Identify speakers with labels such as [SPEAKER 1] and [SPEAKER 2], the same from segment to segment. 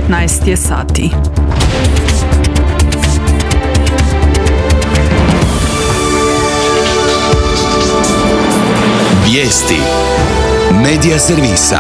[SPEAKER 1] 15 je sati.
[SPEAKER 2] Vijesti Medija servisa.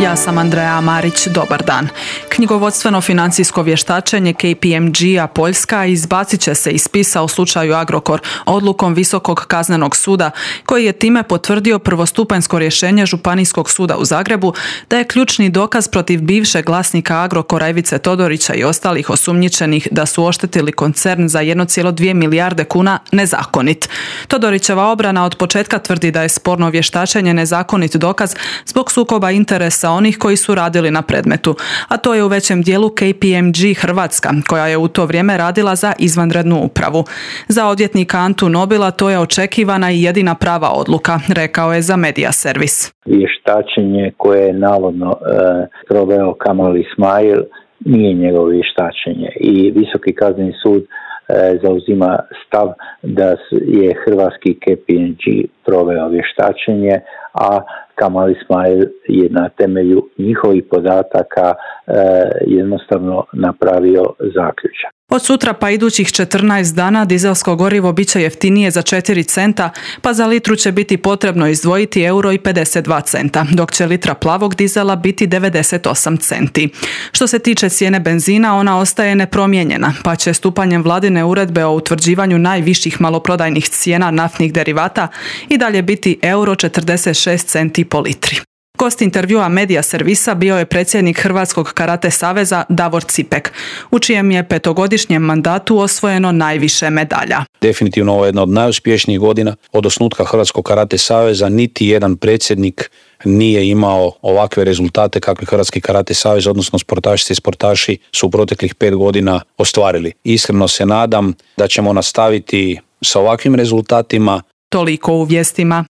[SPEAKER 1] Ja sam Andreja Marić, dobar dan. Knjigovodstveno-financijsko vještačenje KPMG-a Poljska izbacit će se iz spisa u slučaju Agrokor odlukom Visokog kaznenog suda, koji je time potvrdio prvostupanjsko rješenje Županijskog suda u Zagrebu da je ključni dokaz protiv bivšeg vlasnika Agrokora Ivice Todorića i ostalih osumnjičenih da su oštetili koncern za 1,2 milijarde kuna nezakonit. Todorićeva obrana od početka tvrdi da je sporno vještačenje nezakonit dokaz zbog sukoba interesa onih koji su radili na predmetu, a to je u većem dijelu KPMG Hrvatska, koja je u to vrijeme radila za izvanrednu upravu. Za odvjetnika Antu Nobila to je očekivana i jedina prava odluka, rekao je za Medija servis.
[SPEAKER 3] Vještačenje koje je navodno proveo Kamal Ismail nije njegovo vještačenje i Visoki kazneni sud zauzima stav da je hrvatski KPMG proveo vještačenje, a Kamal Ismail je na temelju njihovih podataka jednostavno napravio zaključak.
[SPEAKER 1] Od sutra pa idućih 14 dana dizelsko gorivo bit će jeftinije za 4 centa, pa za litru će biti potrebno izdvojiti €1,52, dok će litra plavog dizela biti 98 centi. Što se tiče cijene benzina, ona ostaje nepromijenjena, pa će stupanjem vladine uredbe o utvrđivanju najviših maloprodajnih cijena naftnih derivata i dalje biti €1,46 po litri. Gost intervjua Medija servisa bio je predsjednik Hrvatskog karate saveza Davor Cipek, u čijem je 5-godišnjem mandatu osvojeno najviše medalja.
[SPEAKER 4] Definitivno ovo je jedna od najuspješnijih godina od osnutka Hrvatskog karate saveza. Niti jedan predsjednik nije imao ovakve rezultate kakve Hrvatski karate savez, odnosno sportašice i sportaši su u proteklih 5 godina ostvarili. Iskreno se nadam da ćemo nastaviti sa ovakvim rezultatima.
[SPEAKER 1] Toliko u vijestima.